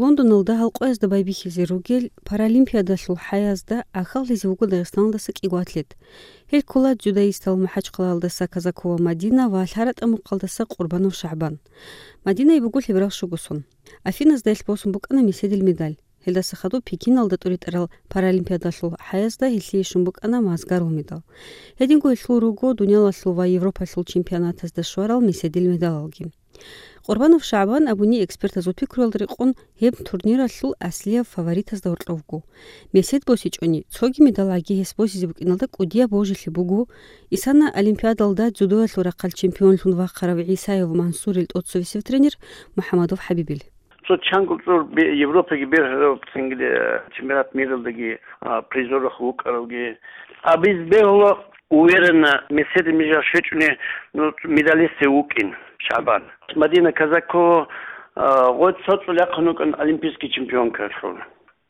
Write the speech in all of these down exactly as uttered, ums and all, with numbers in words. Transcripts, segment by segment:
Лондоналда гьалкъоязда байбихьизе ругел Паралимпиадалъул хӀаязда ахаллъизе вуго Дагъистаналдаса кӀиго атлет. Гьел ккола дзюдоистал МахӀачхъалаялдаса Казакова Мадина ва ЛъаратӀа мухъалдаса Къурбанов ШагӀбан. Мадинае буго лъеберал щуго сон. Афиназда гьелъ босун букӀана меседил медаль. Гьелдаса хадуб Пекиналда тӀуритӀарал Паралимпиадалъул хӀаязда гьелъие щун букӀана мазгарул медал. Гьединго гьелъул руго дуниялалъул ва Европалъул чемпионатазда щварал меседил медалалги. Къурбанов ШагӀбан абуни экспертазул пикруялда рекъон гьеб турниралъул аслияб фаворитазда гьоркьовго. Месед босичӀони, цоги медал гӀаги гьес босизе букӀиналда кӀудияб божилъи буго, исана Олимпиадалда дзюдоялъул рахъалъ чемпионлъун вахъарав ГӀисаев Мансурил тӀоцевесев тренер МухӀаммадов ХӀабибил. Цо чанго цӀур бе-, Европаги бергьарав, цинги, э, чемпионат миралдаги, а, призерах вукӀаравги. Абиз бегьула уверенно меседе мижа щвечӀуни, ну, медалисте вукӀин ШагӀбан. Мадина Казакова, а, гъой цо цӀул яхъун вукӀан олимпийский чемпионкалъул.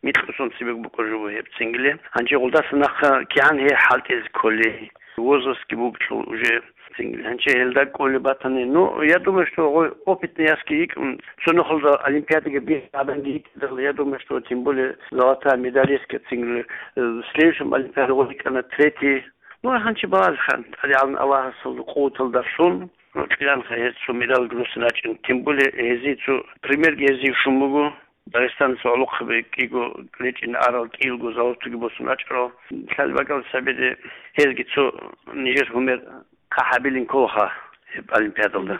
Микьусун цебег букӀа жубу гьеб цинги. Гьанже гъулдаса нахъа кигӀан гьей хӀалтӀизе кколи, возрастги бугелъул уже цинги. Гьанже гьелда кколи батани. Ну, я думаю, что гъой опытный ясги йикӀун, цо нухалда олимпиадаги бихьи гьабанги йикӀидал, я думаю, что тем более золотая медалистка цинги, э, в следующем олимпиаде гъой йикӀана третий. Ну, гьанчи балагьан, тӀадегӀан Аллагьасул къуваталдалъун, ну, кьиланха гьез цо медалги руссин рачӀин. Тем более гьезие цо примерги гьезие щун буго. Дагъистаналъул гӀолохъаби кӀиго речӀин арал, кӀиялго золотоги босун рачӀарал. Лъалеб бакӀал сабиде гьезги цо нижер гьумер хъахӀабилин кколаха гьеб олимпиадалда.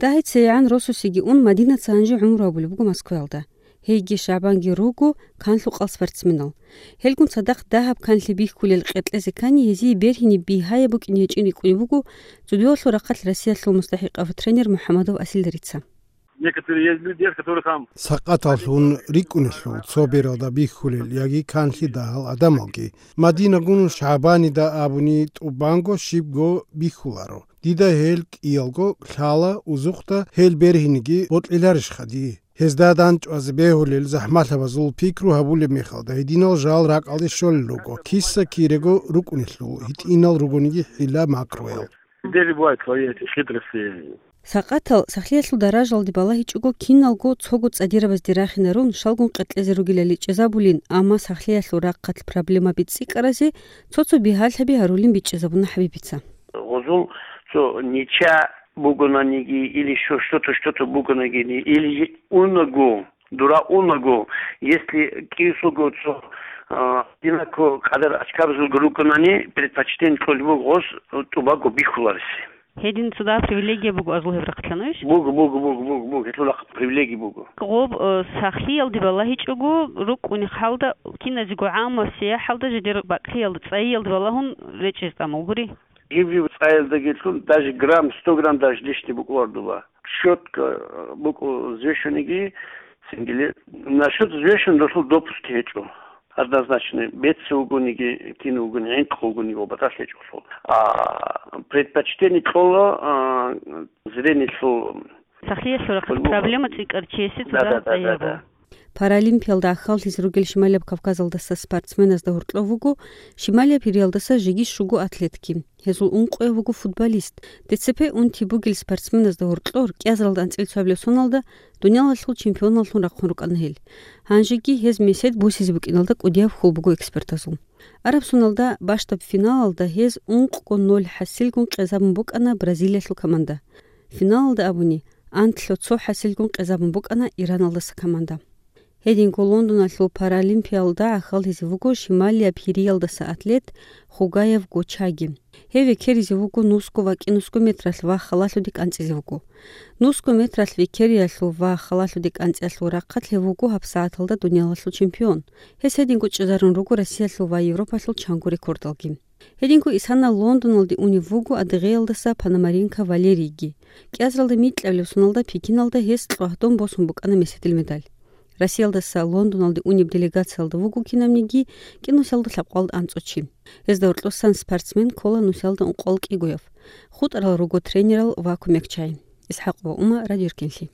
ДагьицайгӀан росасеги ун, Мадинаца гьанже гӀумру гьабулеб буго Москваялда. Гьейги ШагӀбанги руго канлъукъал спортсменал. Гьелгун цадахъ дагьаб канлъи бихьулел къеркьезе ккани, гьезие бергьине бигьаяб букӀин гьечӀин рикӀкӀунеб буго дзюдоялъул рахъалъ Россиялъул мустахӀикъав тренер МухӀаммадов Асилда Рица. Некоторые есть люди, дети, которые там Сакъаталлъун рикӀкӀунелъул цо бералда бихьулел яги канлъи дагьал гӀадамалги. Мадинагун ШагӀбанида абуни тӀубанго щибго бихьуларо. Дида гьел кӀиялго лъала, узухъда гьел бергьинеги бокьиларищха дие? Гьезда дандчӀвазе бегьулел захӀмалъабазул пикру гьабулеб мехалда, гьединал жал ракӀалде щолел руго, киса-кирего рукӀунелъул, гьитӀинал ругониги хӀила-макруял. Дери бывают свои эти хитрости. Сакъатал сахлъиялъул даражалде балагьичӀого киналго цого цӀадирабазде рахинарун, щалгун къеркьезе ругелали чӀезабулин, амма сахлъиялъул рахъалъ проблемаби цӀикӀкӀаразе цо-цо бигьалъаби гьарулин бичӀчӀизабуна ХӀабибица. Гъозул цо нича бугонаниги или что-то, что-то бугонагини, или унаго, дура унаго, если кӀиусулго цо, а, одинаково кьадар очкабазулго рукӀунани, предпочтение кьолеб буго гъос тӀубаго бихьулареси. Гьедин цо дагьаб привилегия буго азул гьеб рахъалъан, иш? Буго, буго, буго, буго, буго, гьелъул рахъ привилегия буго. Гъоб, э, сахлъиялде балагьичӀого, рукӀунеб хӀалда, киназего гӀаммаб сияхӀалда жидер бакӀлъиялда, цӀайиялда балагьун речӀчӀизе тӀамул гури. Жив-жив цӀаялдагилъун даже грамм, сто грамм даже лишний букӀуна гьардула. Щётка, э, букӀу взвешенныйги, цинги насчёт взвешенный досул допуск гьечӀо. Однозначно, беци вугониги, кин вугони, гӀинкъ вугониги ва батӀалъ гьечӀолъул. А, предпочтение кьола, а, зрениелъул. Сахлъиялъул рахъалъ проблема цӀикӀкӀарав чиясе. Да, цадахъ да, да, да, цӀайи гьабула. Да. Паралимпиялда ахаллъизе ругел Шималияб Кавказалдаса спортсменазда гьоркьов вуго Шималияб Гьириялдаса жеги щуго атлетги. Гьезул ункъояв вуго футболист. ДЦП унти бугел спортсменазда гьоркьор кӀиазаралда анцӀила цоабилеб соналда дуниялалъул чемпионаллъун рахъун рукӀана гьел. Гьанжеги гьез месед босизе букӀиналда кӀудияб хьул буго экспертазул. Арабсоналда бащдаб финалалда гьез ункъго ноль хӀасилгун къезабун букӀана Бразилиялъул команда. Финалалда абуни, анлъго цо хӀасилгун къезабун букӀана Ираналдаса команда. Гьединго Лондоналъул Паралимпиялда ахаллъизе вуго Шималияб Гьириялдаса атлет Хугаев Гочаги. Гьев векеризе вуго нусго ва кӀинусго метралъ ва халалъуде кӀанцӀизе вуго. Нусго метралъ векериялъул ва халалъуде кӀанцӀиялъул рахъалъ гьев вуго гьабсагӀаталда дуниялалъул чемпион. Гьес гьединго чӀезарун руго Россиялъул ва Европалъул чанго рекордалги. Гьединго исана Лондоналде унев вуго адыгъеялдаса Пономаренко Валерийги. КӀиазаралда микьабилеб соналда Пекиналда гьес кьвагьдон босун букӀана меседил медаль. Россиялдаса Лондоналде унеб делегациялда вуго кинабниги кӀинусиялда лъабкъоялда анцӀго чи. Гьезда гьоркьосан спортсмен ккола нусиялда ункъоялда кӀигояв. ХутӀарал руго тренерал ва кумекчагӀи. ИсхӀакъова Ума, Радио Эркенлъи.